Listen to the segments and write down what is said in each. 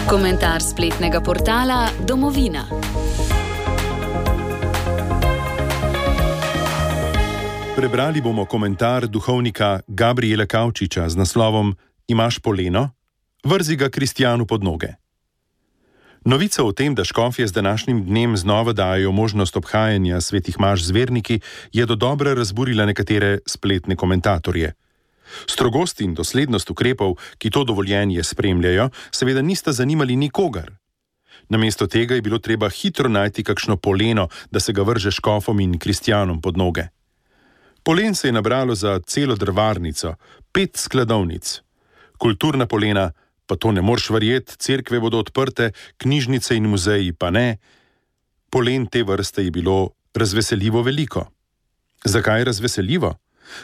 Komentar spletnega portala Domovina. Prebrali bomo komentar duhovnika Gabriela Kavčiča z naslovom Imaš poleno? Vrzi ga kristjanu pod noge. Novica o tem, da škofje z današnjim dnem znova dajo možnost obhajanja svetih maš z verniki, je dodobra razburila nekatere spletne komentatorje. Strogost in doslednost ukrepov, ki to dovoljenje spremljajo, seveda nista zanimali nikogar. Namesto tega je bilo treba hitro najti kakšno poleno, da se ga vrže škofom in kristjanom pod noge. Polen se je nabralo za celo drvarnico, 5 skladovnic. Kulturna polena, pa to ne moreš verjeti, cerkve bodo odprte, knjižnice in muzeji pa ne. Polen te vrste je bilo razveseljivo veliko. Zakaj razveseljivo?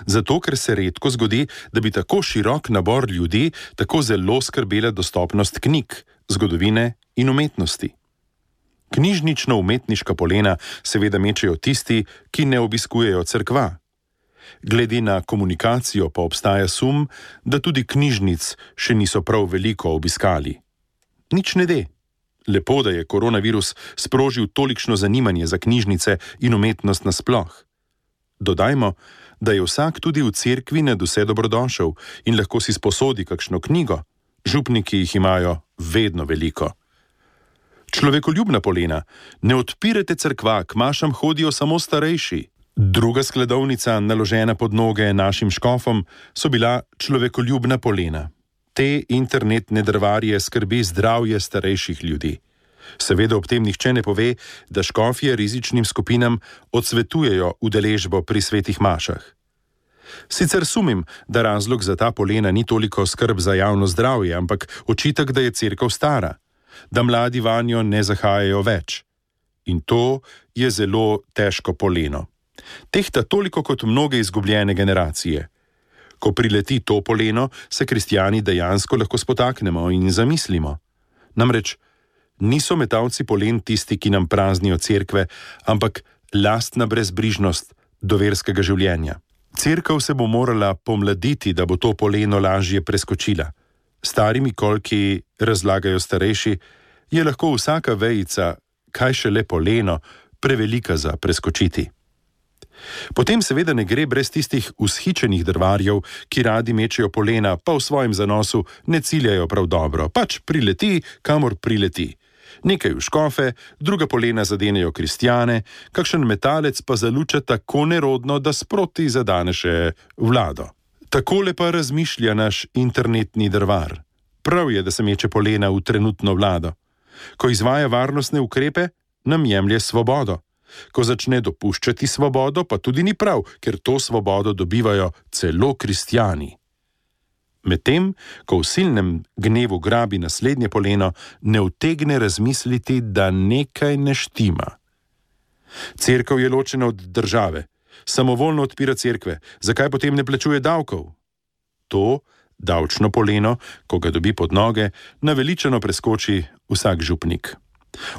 Zato, ker se redko zgodi, da bi tako širok nabor ljudi tako zelo skrbela dostopnost knjig, zgodovine in umetnosti. Knjižnično-umetniška polena seveda mečejo tisti, ki ne obiskujejo cerkva. Glede na komunikacijo pa obstaja sum, da tudi knjižnic še niso prav veliko obiskali. Nič ne de. Lepo, da je koronavirus sprožil tolikšno zanimanje za knjižnice in umetnost nasploh. Dodajmo, da je vsak tudi v cerkvi nadvse dobrodošel in lahko si sposodi kakšno knjigo. Župniki jih imajo vedno veliko. Človekoljubna polena. Ne odpirajte cerkva, k mašam hodijo samo starejši. Druga skladovnica, naložena pod noge našim škofom, so bila človekoljubna polena. Te internetne drvarje skrbi zdravje starejših ljudi. Seveda ob tem nihče ne pove, da škofje rizičnim skupinam odsvetujejo udeležbo pri svetih mašah. Sicer sumim, da razlog za ta polena ni toliko skrb za javno zdravje, ampak očitek, da je cerkev stara, da mladi vanjo ne zahajajo več. In to je zelo težko poleno. Tehta toliko kot mnoge izgubljene generacije. Ko prileti to poleno, se kristjani dejansko lahko spotaknemo in zamislimo. Namreč, niso metalci polen tisti, ki nam praznijo cerkve, ampak lastna brezbrižnost do verskega življenja. Cerkev se bo morala pomladiti, da bo to poleno lažje preskočila. Starimi kolki, razlagajo starejši, je lahko vsaka vejica, kaj šele poleno, prevelika za preskočiti. Potem seveda ne gre brez tistih ushičenih drvarjev, ki radi mečejo polena, pa v svojem zanosu ne ciljajo prav dobro, pač prileti, kamor prileti. Nekaj v škofe, druga polena zadenejo kristjane, kakšen metalec pa zaluča tako nerodno, da sproti zadane še vlado. Takole pa razmišlja naš internetni drvar. Prav je, da se meče polena v trenutno vlado. Ko izvaja varnostne ukrepe, nam jemlje svobodo. Ko začne dopuščati svobodo, pa tudi ni prav, ker to svobodo dobivajo celo kristjani. Medtem, ko v silnem gnevu grabi naslednje poleno, ne utegne razmisliti, da nekaj ne štima. Cerkev je ločena od države, samovoljno odpira cerkve, zakaj potem ne plačuje davkov? To, davčno poleno, ko ga dobi pod noge, naveličano preskoči vsak župnik.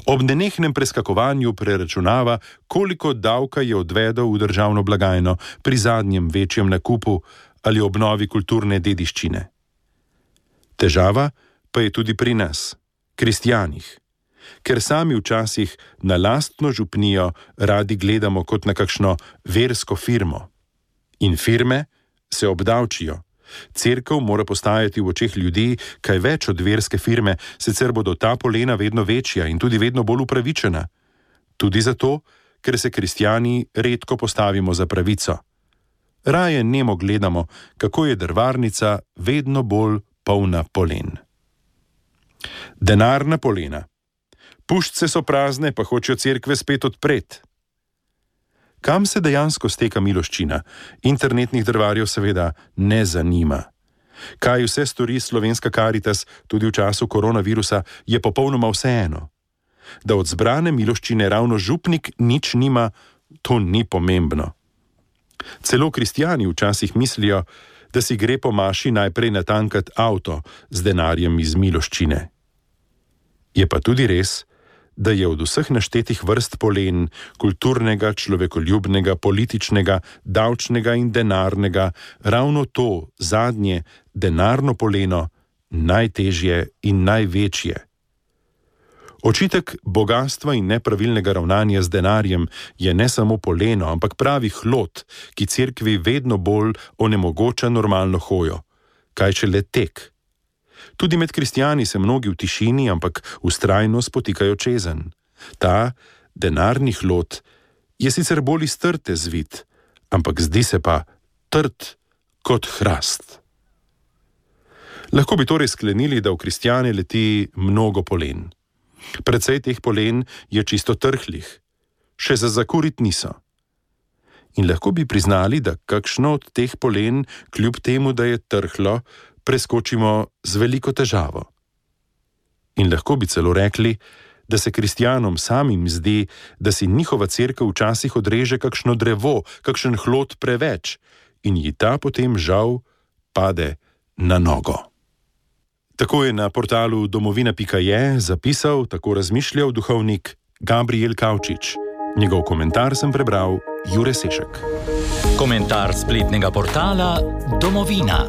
Ob nenehnem preskakovanju preračunava, koliko davka je odvedel v državno blagajno pri zadnjem večjem nakupu ali obnovi kulturne dediščine. Težava pa je tudi pri nas, kristjanih, ker sami včasih na lastno župnijo radi gledamo kot na kakšno versko firmo. In firme se obdavčijo. Cerkev mora postajati v očeh ljudi kaj več od verske firme, sicer bodo ta polena vedno večja in tudi vedno bolj upravičena. Tudi zato, ker se kristjani redko postavimo za pravico. Raje nemo gledamo, kako je drvarnica vedno bolj polna polen. Denarna polena. Puščice so prazne, pa hočejo cerkve spet odpreti. Kam se dejansko steka miloščina? Internetnih drvarjev seveda ne zanima. Kaj vse stori Slovenska Karitas tudi v času koronavirusa, je popolnoma vseeno. Da od zbrane miloščine ravno župnik nič nima, to ni pomembno. Celo kristjani včasih mislijo, da si gre po maši najprej natankat avto z denarjem iz miloščine. Je pa tudi res, da je od vseh naštetih vrst polen, kulturnega, človekoljubnega, političnega, davčnega in denarnega, ravno to zadnje, denarno poleno, najtežje in največje. Očitek bogastva in nepravilnega ravnanja z denarjem je ne samo poleno, ampak pravi hlod, ki cerkvi vedno bolj onemogoča normalno hojo. Kaj šele tek. Tudi med kristjani se mnogi v tišini, ampak vztrajno spotikajo čezenj. Ta denarni hlod je sicer bolj iz trte zvit, ampak zdi se pa trd kot hrast. Lahko bi torej sklenili, da v kristjane leti mnogo polen. Precej teh polen je čisto trhlih, še za zakurit niso. In lahko bi priznali, da kakšno od teh polen, kljub temu, da je trhlo, preskočimo z veliko težavo. In lahko bi celo rekli, da se kristjanom samim zdi, da si njihova cerkev včasih odreže kakšno drevo, kakšen hlod preveč in ji ta potem žal pade na nogo. Tako je na portalu domovina.je zapisal, tako razmišljal duhovnik Gabriel Kavčič. Njegov komentar sem prebral Jure Sešek. Komentar spletnega portala Domovina.